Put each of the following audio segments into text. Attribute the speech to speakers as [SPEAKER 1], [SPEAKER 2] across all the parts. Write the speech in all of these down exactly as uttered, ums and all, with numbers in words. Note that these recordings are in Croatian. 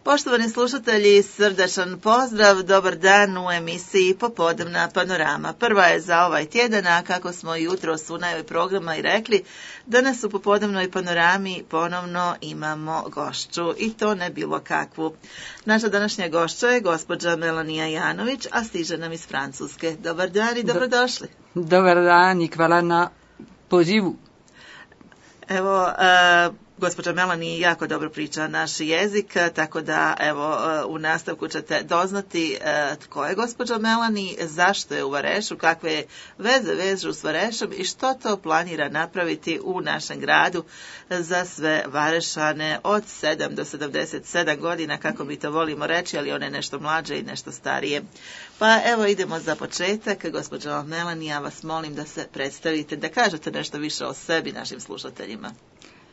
[SPEAKER 1] Poštovani slušatelji, srdačan pozdrav, dobar dan u emisiji Popodnevna panorama. Prva je za ovaj tjedan, a kako smo jutros u najavi programa i rekli, danas u Popodnevnoj panorami ponovno imamo gošću i to ne bilo kakvu. Naša današnja gošća je gospođa Melanija Janović, a stiže nam iz Francuske. Dobar dan i dobrodošli.
[SPEAKER 2] Dobar dan i hvala na pozivu.
[SPEAKER 1] Evo, uh, gospođa Melani jako dobro priča naš jezik, tako da evo u nastavku ćete doznati uh, tko je gospođa Melani, zašto je u Varešu, kakve veze vežu s Varešom i što to planira napraviti u našem gradu za sve Varešane od sedam do sedamdeset sedam godina, kako mi to volimo reći, ali one nešto mlađe i nešto starije. Pa evo idemo za početak. Gospođo Melani, ja vas molim da se predstavite, da kažete nešto više o sebi našim slušateljima.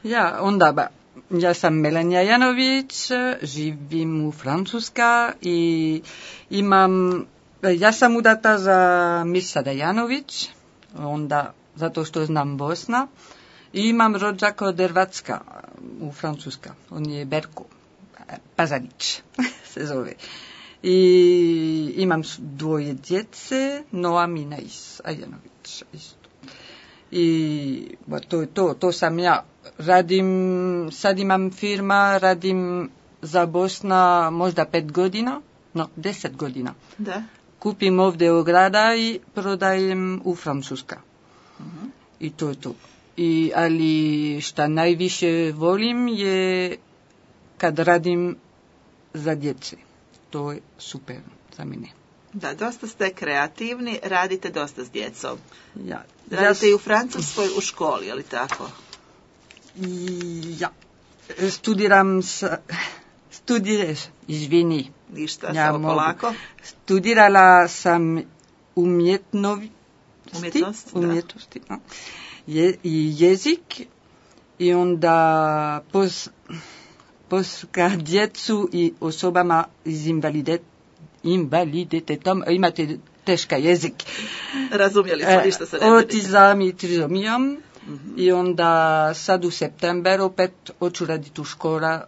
[SPEAKER 2] Ja, onda ba, ja sam Melanija Janović, živim u Francuska i imam, ja sam udata za Mirsada Janović, onda zato što znam Bosna, i imam rođaka od Hrvatska u Francuska, on je Berko, Pazanić se zove. I imam dvoje djece, Noam i Nais Ajanović isto. I ba, to je to, to sam ja. Radim, sad imam firma, radim za Bosna možda pet godina, no deset godina.
[SPEAKER 1] Da.
[SPEAKER 2] Kupim ovdje u grada i prodajem u Francuska.
[SPEAKER 1] Uh-huh.
[SPEAKER 2] I to je to. I, ali šta najviše volim je kad radim za djece. To je super za mene.
[SPEAKER 1] Da, dosta ste kreativni, radite dosta s djecom.
[SPEAKER 2] Ja.
[SPEAKER 1] Radite
[SPEAKER 2] ja,
[SPEAKER 1] i u Francuskoj u školi, je li tako?
[SPEAKER 2] Ja. Studiram s... Studireš, izvini.
[SPEAKER 1] Ništa,
[SPEAKER 2] ja
[SPEAKER 1] samo
[SPEAKER 2] mogu.
[SPEAKER 1] polako.
[SPEAKER 2] Studirala sam umjetnovi...
[SPEAKER 1] Umjetnost, da.
[SPEAKER 2] Umjetnosti, no. Je, i jezik i onda pos, poska djecu i osobama iz invalidet, invaliditetom, imate teška jezik.
[SPEAKER 1] Razumjeli smo, ništa se ne brinite.
[SPEAKER 2] Autizam i trizomijom.
[SPEAKER 1] Mm-hmm.
[SPEAKER 2] I onda sad u september opet hoću raditi u škola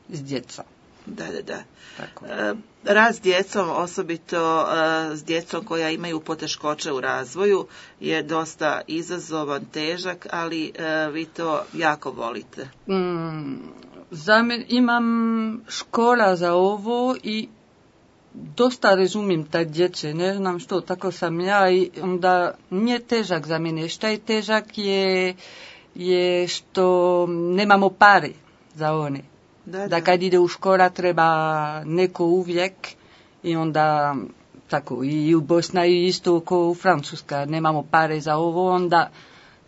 [SPEAKER 2] s djeca.
[SPEAKER 1] Da, da, da.
[SPEAKER 2] Tako.
[SPEAKER 1] E, rad s djecom, osobito e, s djecom koja imaju poteškoće u razvoju, je dosta izazovan, težak, ali e, vi to jako volite.
[SPEAKER 2] Mm, za men, imam škola za ovo i dosta razumijem ta djece, ne znam što, tako sam ja i onda nije težak za mene. Šta je težak je, je što nemamo pare za one.
[SPEAKER 1] Da, da.
[SPEAKER 2] Da kad ide u škola treba neko uvijek i onda tako i u Bosna i isto kao u Francuska nemamo pare za ovo, onda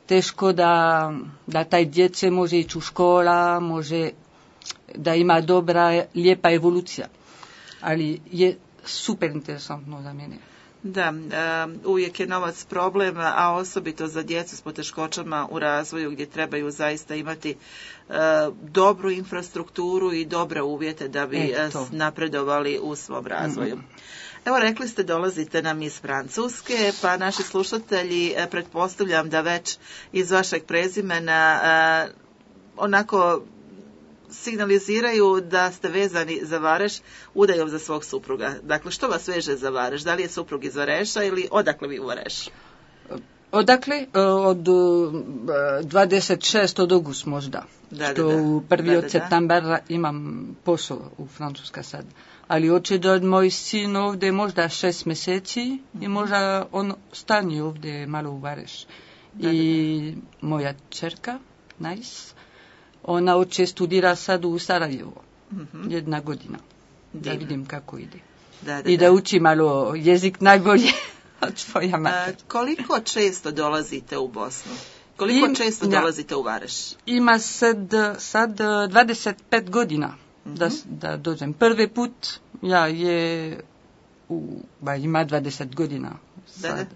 [SPEAKER 2] teško da, da taj djece može ići u škola, može da ima dobra, lijepa evolucija. Ali je super interesantno za mene.
[SPEAKER 1] Da, uvijek je novac problem, a osobito za djecu s poteškoćama u razvoju gdje trebaju zaista imati dobru infrastrukturu i dobre uvjete da bi Eto. napredovali u svom razvoju. Mm. Evo, rekli ste dolazite nam iz Francuske, pa naši slušatelji, pretpostavljam da već iz vašeg prezimena onako signaliziraju da ste vezani za Vareš udajom za svog supruga. Dakle, što vas veže za Vareš? Da li je suprug iz Vareša ili odakle vi u Varešu?
[SPEAKER 2] Odakle? Od dvadeset šestog augusta možda.
[SPEAKER 1] Da,
[SPEAKER 2] što
[SPEAKER 1] da, da.
[SPEAKER 2] u prvi
[SPEAKER 1] da,
[SPEAKER 2] od
[SPEAKER 1] da,
[SPEAKER 2] septembra imam posao u Francuska sad. Ali hoće da moj sin ovdje možda šest mjeseci mm-hmm. i možda on stane ovdje malo u Vareš. Da, I da, da. moja čerka, Nais, ona hoće studira sad u Sarajevo. Mm-hmm. Jedna godina. Da Divno. vidim kako ide.
[SPEAKER 1] Da, da,
[SPEAKER 2] I da, da uči malo jezik najbolje od tvoja mater.
[SPEAKER 1] Koliko često dolazite u Bosnu? Koliko Im, često ja, dolazite u Vareš?
[SPEAKER 2] Ima sad, sad dvadeset pet godina mm-hmm. da, da dođem. Prvi put ja je u, ba, ima dvadeset godina. Sad, da, da.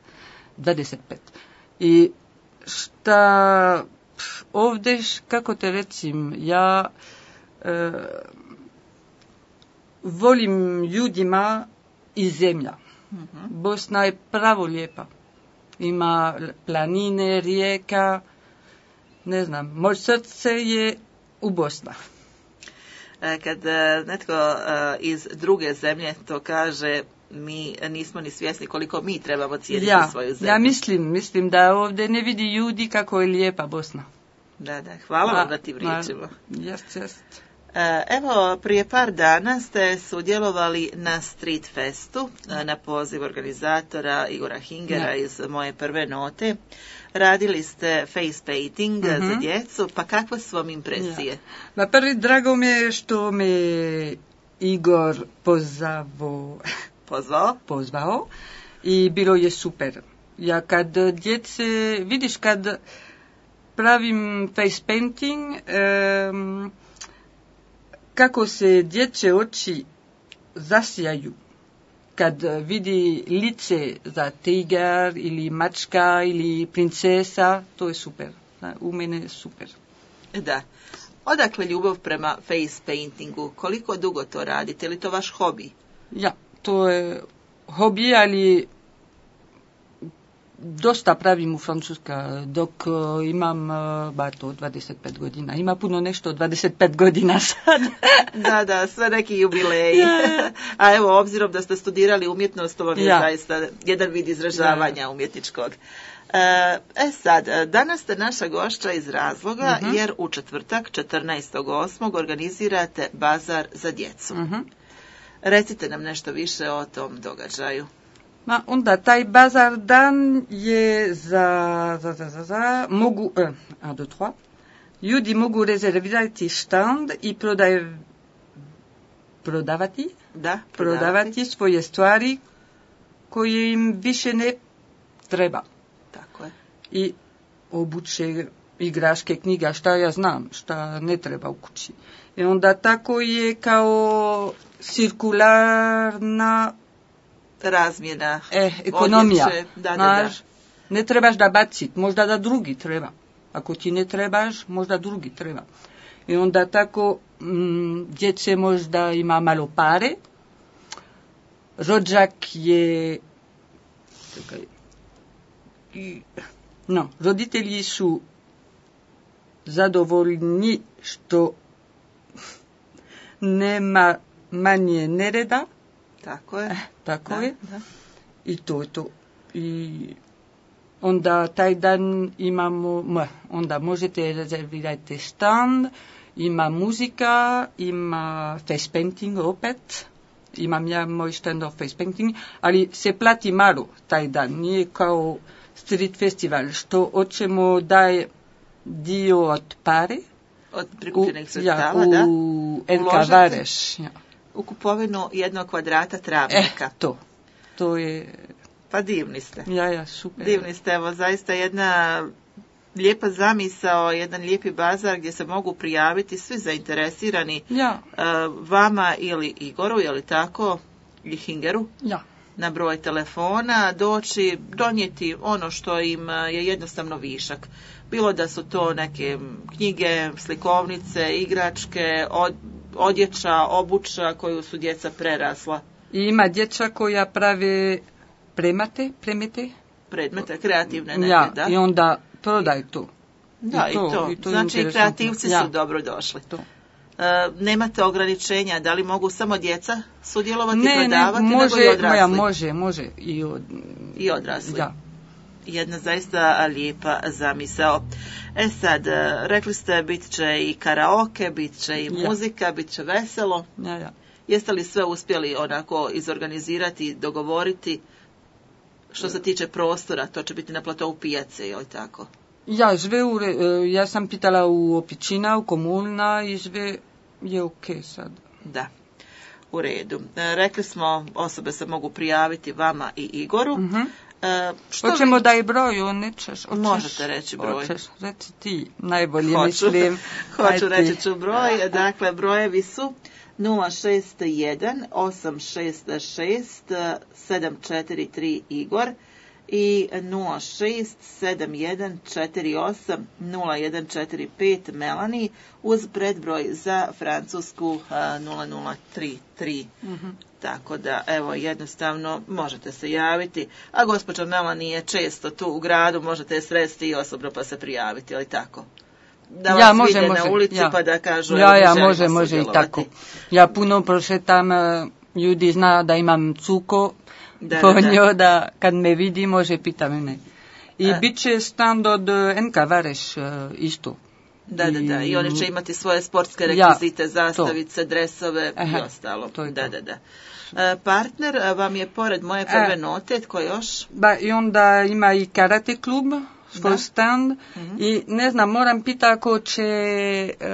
[SPEAKER 2] dvadeset pet. I šta ovdje, kako te recim, ja e, volim ljudima i zemlja. Mm-hmm. Bosna je pravo lijepa. Ima planine, rijeka, ne znam, moje srce je u Bosna.
[SPEAKER 1] Kad netko iz druge zemlje to kaže, mi nismo ni svjesni koliko mi trebamo cijeniti
[SPEAKER 2] ja,
[SPEAKER 1] svoju zemlju.
[SPEAKER 2] Ja mislim, mislim da ovdje ne vidi ljudi kako je lijepa Bosna.
[SPEAKER 1] Da, da, hvala vam na tim riječima.
[SPEAKER 2] Jest, jest.
[SPEAKER 1] Evo, prije par dana ste sudjelovali na Street Festu na poziv organizatora Igora Hingera ja. iz Moje prve note. Radili ste face painting uh-huh. za djecu, pa kakve su vam impresije?
[SPEAKER 2] Ja. Ma prvi, drago mi je što me Igor pozvao.
[SPEAKER 1] Pozvao?
[SPEAKER 2] Pozvao i bilo je super. Ja kad djece, vidiš kad pravim face painting, um, kako se dječje oči zasijaju kad vidi lice za tigar ili mačka ili princesa, to je super. U mene je super.
[SPEAKER 1] Da. Odakle ljubav prema face paintingu? Koliko dugo to radite? Je li to vaš hobi?
[SPEAKER 2] Ja, to je hobi, ali dosta pravim u Francuska, dok uh, imam uh, ba to dvadeset pet godina. Ima puno nešto dvadeset pet godina sad.
[SPEAKER 1] Da, da, sve neki jubileji. Ja. A evo, obzirom da ste studirali umjetnost, to vam je ja. zaista jedan vid izražavanja ja. umjetničkog. E sad, danas ste naša gošća iz razloga, uh-huh. jer u četvrtak, četrnaestog osmog organizirate bazar za djecu. Uh-huh. Recite nam nešto više o tom događaju.
[SPEAKER 2] Ma onda taj bazar dan je za, za, za, za, za mogu, eh, un, deux, trois, ljudi mogu rezervirati štand i prodaj, prodavati,
[SPEAKER 1] da, prodavati.
[SPEAKER 2] prodavati svoje stvari koje im više ne treba.
[SPEAKER 1] Tako je.
[SPEAKER 2] I obuće, igraške, knjiga, šta ja znam, šta ne treba u kući. I onda tako je kao cirkularna
[SPEAKER 1] razmjena,
[SPEAKER 2] eh, ekonomija.
[SPEAKER 1] Odjeće, da, da,
[SPEAKER 2] Naš,
[SPEAKER 1] da.
[SPEAKER 2] Ne trebaš da bacit, možda da drugi treba. Ako ti ne trebaš, možda drugi treba. I onda tako m, djece možda ima malo pare. Rođak je... Čekaj. I, no, roditelji su zadovoljni što nema manje nereda.
[SPEAKER 1] Tako je.
[SPEAKER 2] Tako
[SPEAKER 1] da,
[SPEAKER 2] je.
[SPEAKER 1] Da.
[SPEAKER 2] I to je to. I onda taj dan imamo, onda možete rezervirati stand, ima muzika, ima face painting opet, imam ja moj stand of face painting, ali se plati malo taj dan, nije kao street festival, što hoćemo daje dio od pare,
[SPEAKER 1] od prikupljenih sredstava,
[SPEAKER 2] ja,
[SPEAKER 1] da?
[SPEAKER 2] U El Cavareš, ja.
[SPEAKER 1] U kupovinu jednog kvadrata travnika.
[SPEAKER 2] Eh, to. To je...
[SPEAKER 1] Pa divni ste.
[SPEAKER 2] Ja, ja, super.
[SPEAKER 1] Divni ste, evo, zaista jedna lijepa zamisao, jedan lijepi bazar gdje se mogu prijaviti svi zainteresirani
[SPEAKER 2] ja.
[SPEAKER 1] uh, vama ili Igoru, je li tako, ili Hingeru,
[SPEAKER 2] ja.
[SPEAKER 1] na broj telefona, doći, donijeti ono što im je jednostavno višak. Bilo da su to neke knjige, slikovnice, igračke, od, odjeća, obuća koju su djeca prerasla.
[SPEAKER 2] I ima djeca koja prave premate, premete?
[SPEAKER 1] Predmete, kreativne neke,
[SPEAKER 2] ja,
[SPEAKER 1] da.
[SPEAKER 2] I onda prodaj to.
[SPEAKER 1] Da, i to. I to. I to znači i kreativci ja. su dobro došli.
[SPEAKER 2] To.
[SPEAKER 1] E, nemate ograničenja, da li mogu samo djeca sudjelovati,
[SPEAKER 2] ne,
[SPEAKER 1] prodavati,
[SPEAKER 2] ne, može,
[SPEAKER 1] nego i odrasli?
[SPEAKER 2] Moja, može, može. I, od,
[SPEAKER 1] I odrasli.
[SPEAKER 2] Ja.
[SPEAKER 1] Jedna zaista lijepa zamisao. E sad, rekli ste, bit će i karaoke, bit će i ja. muzika, bit će veselo.
[SPEAKER 2] Ja, ja.
[SPEAKER 1] Jeste li sve uspjeli onako izorganizirati, dogovoriti? Što se tiče prostora, to će biti na platovu pijace, je li tako?
[SPEAKER 2] Ja, sve u, ja sam pitala u općina, u komuna i sve je ok sad.
[SPEAKER 1] Da, u redu. Rekli smo, osobe se mogu prijaviti vama i Igoru.
[SPEAKER 2] Uh-huh.
[SPEAKER 1] E, što
[SPEAKER 2] Hoćemo
[SPEAKER 1] vi...
[SPEAKER 2] da je broj, on nećeš. Očeš,
[SPEAKER 1] Možete reći broj.
[SPEAKER 2] Očeš, reci ti, najbolje
[SPEAKER 1] Hoću.
[SPEAKER 2] mislim.
[SPEAKER 1] Hoću, reći ću broj. Dakle, brojevi su nula šest jedan osam šest šest sedam četiri tri Igor i nula šest sedam jedan četiri osam nula jedan četiri pet Melanie uz predbroj za Francusku nula nula tri tri. Mm-hmm. Tako da, evo, jednostavno možete se javiti, a gospođa Melanie je često tu u gradu, možete je sresti i osobno pa se prijaviti, ali tako? da vas
[SPEAKER 2] ja, može,
[SPEAKER 1] vide
[SPEAKER 2] može,
[SPEAKER 1] na ulici
[SPEAKER 2] ja.
[SPEAKER 1] pa da kažu
[SPEAKER 2] ja, ja,
[SPEAKER 1] želimo
[SPEAKER 2] može, može i tako. Ja puno prošetam, ljudi zna da imam cuko,
[SPEAKER 1] da,
[SPEAKER 2] po
[SPEAKER 1] da, da.
[SPEAKER 2] njoj da kad me vidi može pita mene. I
[SPEAKER 1] A.
[SPEAKER 2] bit će stand od N K Vareš isto.
[SPEAKER 1] Da, da, da. I oni će imati svoje sportske
[SPEAKER 2] ja,
[SPEAKER 1] rekvizite, zastavice, to. dresove
[SPEAKER 2] Aha,
[SPEAKER 1] i ostalo.
[SPEAKER 2] to je
[SPEAKER 1] da,
[SPEAKER 2] to.
[SPEAKER 1] da, da. E, partner vam je pored moje prve e, note, tko još?
[SPEAKER 2] Ba, i onda ima i karate klub, svoj stand. Mm-hmm. I ne znam, moram pita ako će uh,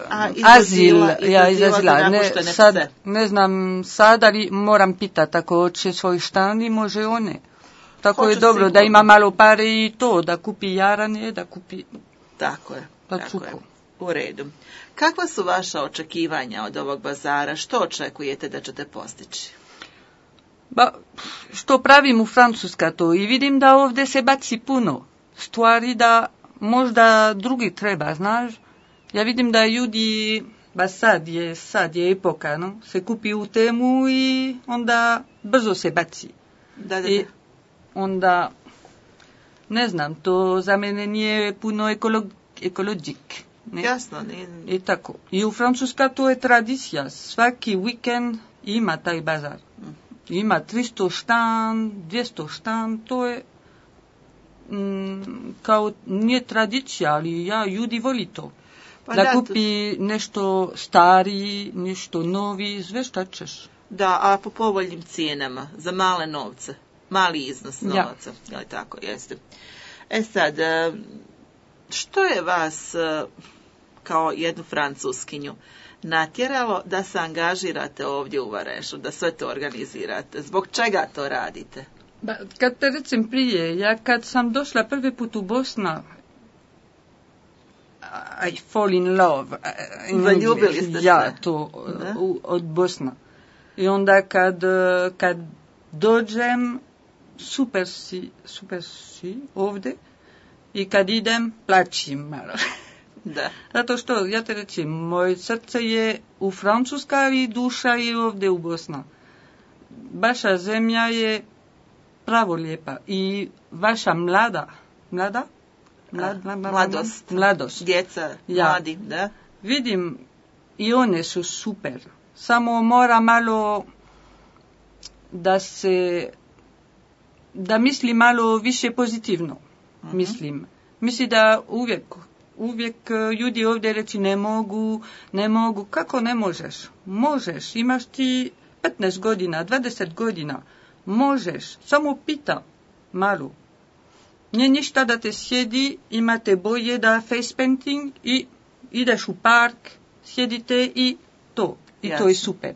[SPEAKER 1] A,
[SPEAKER 2] azil, ja,
[SPEAKER 1] iz azila,
[SPEAKER 2] ne, sad, ne znam sad, ali moram pitati ako će svoj stand i može one. Tako
[SPEAKER 1] Hoću
[SPEAKER 2] je dobro
[SPEAKER 1] sigurno.
[SPEAKER 2] Da ima malo pare i to, da kupi jaranje, da kupi...
[SPEAKER 1] Tako je,
[SPEAKER 2] pa
[SPEAKER 1] tako
[SPEAKER 2] cuko.
[SPEAKER 1] je. U redu. Kakva su vaša očekivanja od ovog bazara? Što očekujete da ćete postići?
[SPEAKER 2] Ba, što pravim u Francuska to i vidim da ovdje se baci puno stvari da možda drugi treba, znaš. Ja vidim da ljudi, ba sad je, sad je epoka, no? Se kupi u temu i onda brzo se baci.
[SPEAKER 1] Da, da, da.
[SPEAKER 2] I onda, ne znam, to za mene nije puno ekolog, ekologik. Ne?
[SPEAKER 1] Jasno. Nije...
[SPEAKER 2] I tako. I u Francuska to je tradicija. Svaki vikend ima taj bazar. Ima tristo štan, dvjesto štan, to je mm, kao nije tradicija, ali ja ljudi voli to. Pa da, da kupi to... nešto stari, nešto novi, sve šta ćeš.
[SPEAKER 1] Da, a po povoljnim cijenama, za male novce, mali iznos novaca. Ja. Tako, jeste. E sad, što je vas kao jednu Francuskinju natjeralo da se angažirate ovdje u Varešu, da sve to organizirate? Zbog čega to radite?
[SPEAKER 2] Ba, kad te recim prije, ja kad sam došla prvi put u Bosna, I fall in love. In
[SPEAKER 1] Zaljubili ste se?
[SPEAKER 2] Ja, to u, od Bosna. I onda kad, kad dođem, super si, super si ovdje, i kad idem, plačim malo.
[SPEAKER 1] Da.
[SPEAKER 2] Zato što, ja te reći, moje srce je u Francuska i duša je ovdje u Bosna. Vaša zemlja je pravo lijepa i vaša mlada, mlada?
[SPEAKER 1] Mlad, mlad, mladost.
[SPEAKER 2] Mladost.
[SPEAKER 1] Djeca,
[SPEAKER 2] ja.
[SPEAKER 1] mladi, da.
[SPEAKER 2] Vidim, i one su super. Samo mora malo da se, da misli malo više pozitivno, uh-huh. mislim. Misli da uvijek, uvijek ljudi ovdje reći ne mogu, ne mogu. Kako ne možeš? Možeš, imaš ti petnaest godina, dvadeset godina. Možeš, samo pita malo. Nije ništa da te sjedi, imate boje da face painting i ideš u park, sjedite i to. I Jasne. To je super.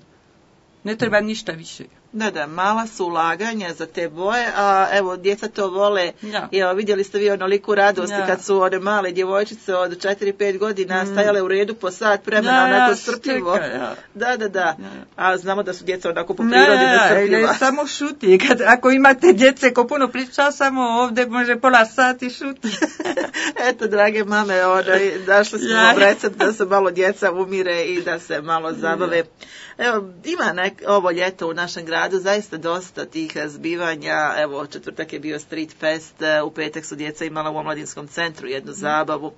[SPEAKER 2] Ne treba ništa više.
[SPEAKER 1] Da, da, mala su ulaganja za te boje, a evo, djeca to vole.
[SPEAKER 2] Ja.
[SPEAKER 1] I evo, vidjeli ste vi onoliku radost
[SPEAKER 2] ja.
[SPEAKER 1] kad su one male djevojčice od četiri pet godina mm. stajale u redu po sat vremena,
[SPEAKER 2] ja,
[SPEAKER 1] onako
[SPEAKER 2] ja,
[SPEAKER 1] strpljivo.
[SPEAKER 2] Čeka, ja.
[SPEAKER 1] Da, da, da. Ja. A znamo da su djeca onako po prirodi
[SPEAKER 2] ja,
[SPEAKER 1] nestrpljiva.
[SPEAKER 2] Ja, samo šuti. Kad, ako imate djece ko puno priča, samo ovdje može pola sati šuti.
[SPEAKER 1] Eto, drage mame, onaj, našli smo ja. recept da se malo djeca umire i da se malo zabave. Ja. Evo, ima nek, ovo ljeto u našem gradu zaista dosta tih zbivanja. Evo, četvrtak je bio Street Fest, u petak su djeca imala u omladinskom centru jednu zabavu.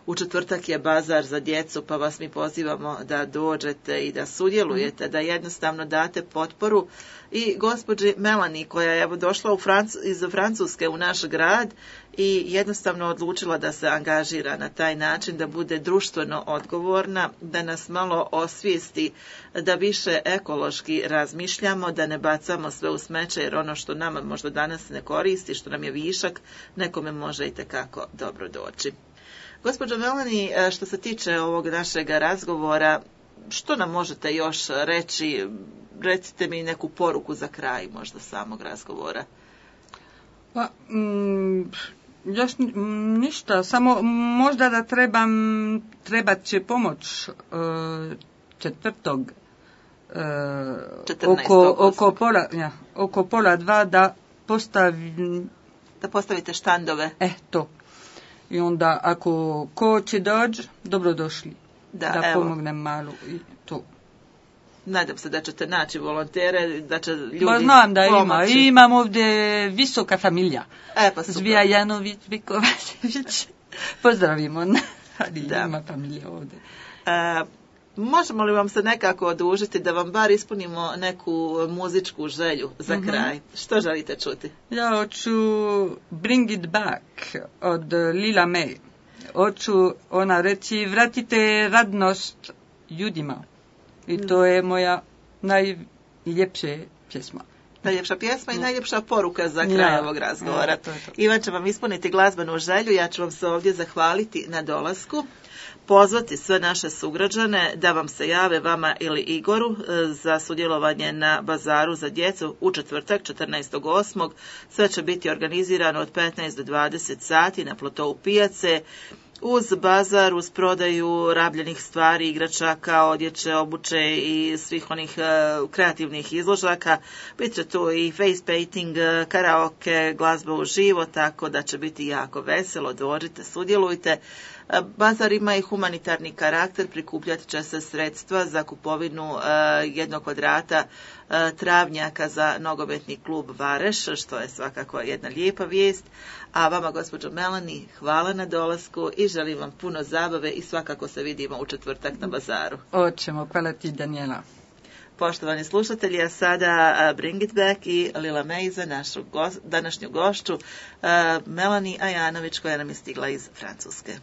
[SPEAKER 1] U četvrtak je bazar za djecu, pa vas mi pozivamo da dođete i da sudjelujete, da jednostavno date potporu i gospođi Melanie koja je evo došla u Francu, iz Francuske u naš grad i jednostavno odlučila da se angažira na taj način, da bude društveno odgovorna, da nas malo osvijesti, da više ekološki razmišljamo, da ne bacamo sve u smeće, jer ono što nama možda danas ne koristi, što nam je višak, nekome može i tekako dobro doći. Gospođo Melanie, što se tiče ovog našeg razgovora, što nam možete još reći? Recite mi neku poruku za kraj možda samog razgovora.
[SPEAKER 2] Pa, mm, još ništa, samo možda da trebam, trebat će pomoć uh, četvrtog uh, oko, oko, pola, ja, oko pola dva da postavim...
[SPEAKER 1] Da postavite štandove.
[SPEAKER 2] E, to. I onda ako ko će doći, dobrodošli. Da, da pomognem malo i to.
[SPEAKER 1] Nadam se da ćete naći volontere, da će ljudi
[SPEAKER 2] ba, znam da pomoći. Ima. Imam ovdje visoka familija.
[SPEAKER 1] E, pa super.
[SPEAKER 2] Zvija Janović, Vikovačević. Pozdravimo. ali
[SPEAKER 1] Da.
[SPEAKER 2] ima familija ovdje.
[SPEAKER 1] E, možemo li vam se nekako odužiti da vam bar ispunimo neku muzičku želju za
[SPEAKER 2] Mhm.
[SPEAKER 1] kraj? Što želite čuti?
[SPEAKER 2] Ja hoću Bring It Back od Lila May. Hoću ona reći vratite radnost ljudima. I to je moja najljepša pjesma.
[SPEAKER 1] Najljepša pjesma i najljepša poruka za kraj
[SPEAKER 2] Ja,
[SPEAKER 1] ovog razgovora.
[SPEAKER 2] ja, to je to.
[SPEAKER 1] Ivan će vam ispuniti glazbenu želju, ja ću vam se ovdje zahvaliti na dolasku, pozvati sve naše sugrađane da vam se jave, vama ili Igoru, e, za sudjelovanje na bazaru za djecu u četvrtak četrnaestog osmog Sve će biti organizirano od petnaest do dvadeset sati na plotou pijace, uz bazar, uz prodaju rabljenih stvari, igračaka, odjeće, obuće i svih onih e, kreativnih izložaka. Bit će tu i face painting, e, karaoke, glazba uživo, tako da će biti jako veselo. Dođite, sudjelujte. E, Bazar ima i humanitarni karakter, prikupljat će se sredstva za kupovinu e, jednog kvadrata e, travnjaka za nogometni klub Vareš, što je svakako jedna lijepa vijest. A vama, gospođo Melanie, hvala na dolasku i želim vam puno zabave i svakako se vidimo u četvrtak na bazaru.
[SPEAKER 2] Hoćemo, hvala ti Daniela.
[SPEAKER 1] Poštovani slušatelji, a sada a, Bring It Back i Lila May za našu gos- današnju gošću, a, Melanie Ajanović, koja nam je stigla iz Francuske.